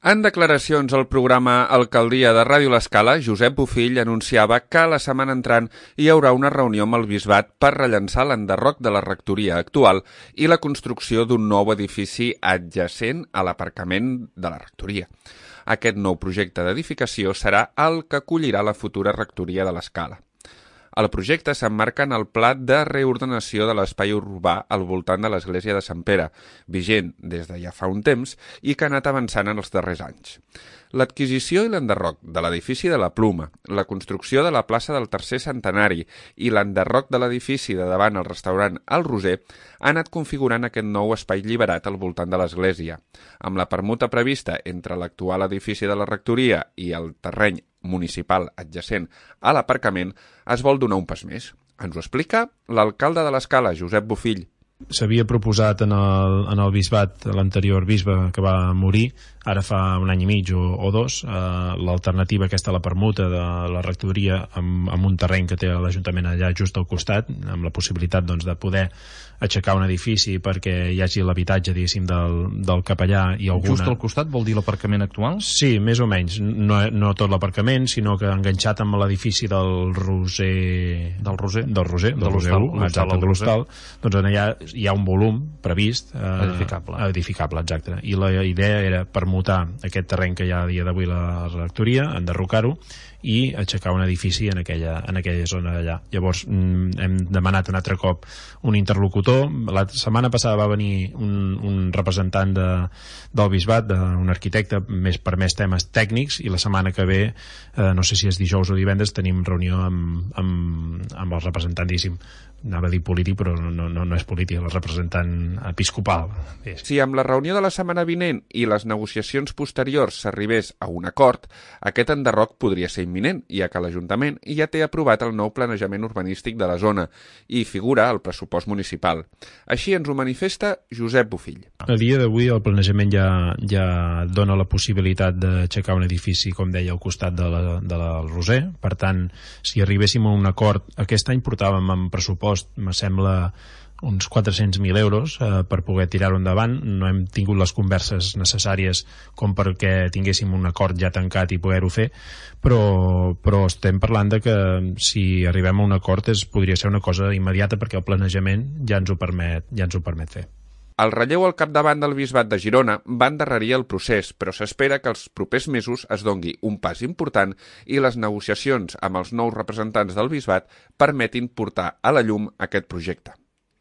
En declaracions al programa Alcaldia de Ràdio L'Escala, Josep Bofill anunciava que la setmana entrant hi haurà una reunió amb el Bisbat per rellançar l'enderroc de la rectoria actual i la construcció d'un nou edifici adjacent a l'aparcament de la rectoria. Aquest nou projecte d'edificació serà el que acollirà la futura rectoria de l'Escala. El projecte s'emmarca en el pla de reordenació de l'espai urbà al voltant de l'església de Sant Pere, vigent des de ja fa un temps i que ha anat avançant en els darrers anys. L'adquisició i l'enderroc de l'edifici de la Pluma, la construcció de la plaça del Tercer Centenari i l'enderroc de l'edifici de davant el restaurant El Roser han anat configurant aquest nou espai lliberat al voltant de l'església. Amb la permuta prevista entre l'actual edifici de la rectoria i el terreny municipal adjacent a l'aparcament, es vol donar un pas més. Ens ho explica l'alcalde de l'Escala, Josep Bofill. S'havia proposat en el bisbat, l'anterior bisbe que va morir, ara fa un any i mig o dos, l'alternativa aquesta a la permuta de la rectoria amb un terreny que té l'Ajuntament allà just al costat, amb la possibilitat de poder aixecar un edifici perquè hi hagi l'habitatge, diguéssim, del capellà i alguna... Just al costat vol dir l'aparcament actual? Sí, més o menys. No tot l'aparcament, sinó que enganxat amb l'edifici del Roser... Del Roser? Del Roser 1, exacte, de l'Hostal. Doncs allà hi ha un volum previst edificable, exacte. I la idea era permutar aquest terreny que hi ha a dia d'avui la rectoria, enderrocar-ho i aixecar un edifici en aquella zona d'allà. Llavors hem demanat un altre cop un interlocutor. La setmana passada va venir un representant del bisbat, un arquitecte per més temes tècnics, i la setmana que ve, no sé si és dijous o divendres, tenim reunió amb el representant, diguéssim, anava a dir polític, però no és polític, el representant episcopal. Si amb la reunió de la setmana vinent i les negociacions posteriors s'arribés a un acord, aquest enderroc podria ser imminent, ja que l'Ajuntament ja té aprovat el nou planejament urbanístic de la zona i figura al pressupost municipal. Així ens ho manifesta Josep Bofill. A dia d'avui el planejament ja dona la possibilitat d'aixecar un edifici, com deia, al costat del Roser. Per tant, si arribéssim a un acord, aquest any portàvem en pressupost, me sembla, uns 400.000 euros per poder tirar-ho endavant. No hem tingut les converses necessàries com perquè tinguéssim un acord ja tancat i poder-ho fer, però estem parlant de que si arribem a un acord podria ser una cosa immediata perquè el planejament ja ens ho permet fer. El relleu al capdavant del Bisbat de Girona va endarrerir el procés, però s'espera que els propers mesos es dongui un pas important i les negociacions amb els nous representants del Bisbat permetin portar a la llum aquest projecte.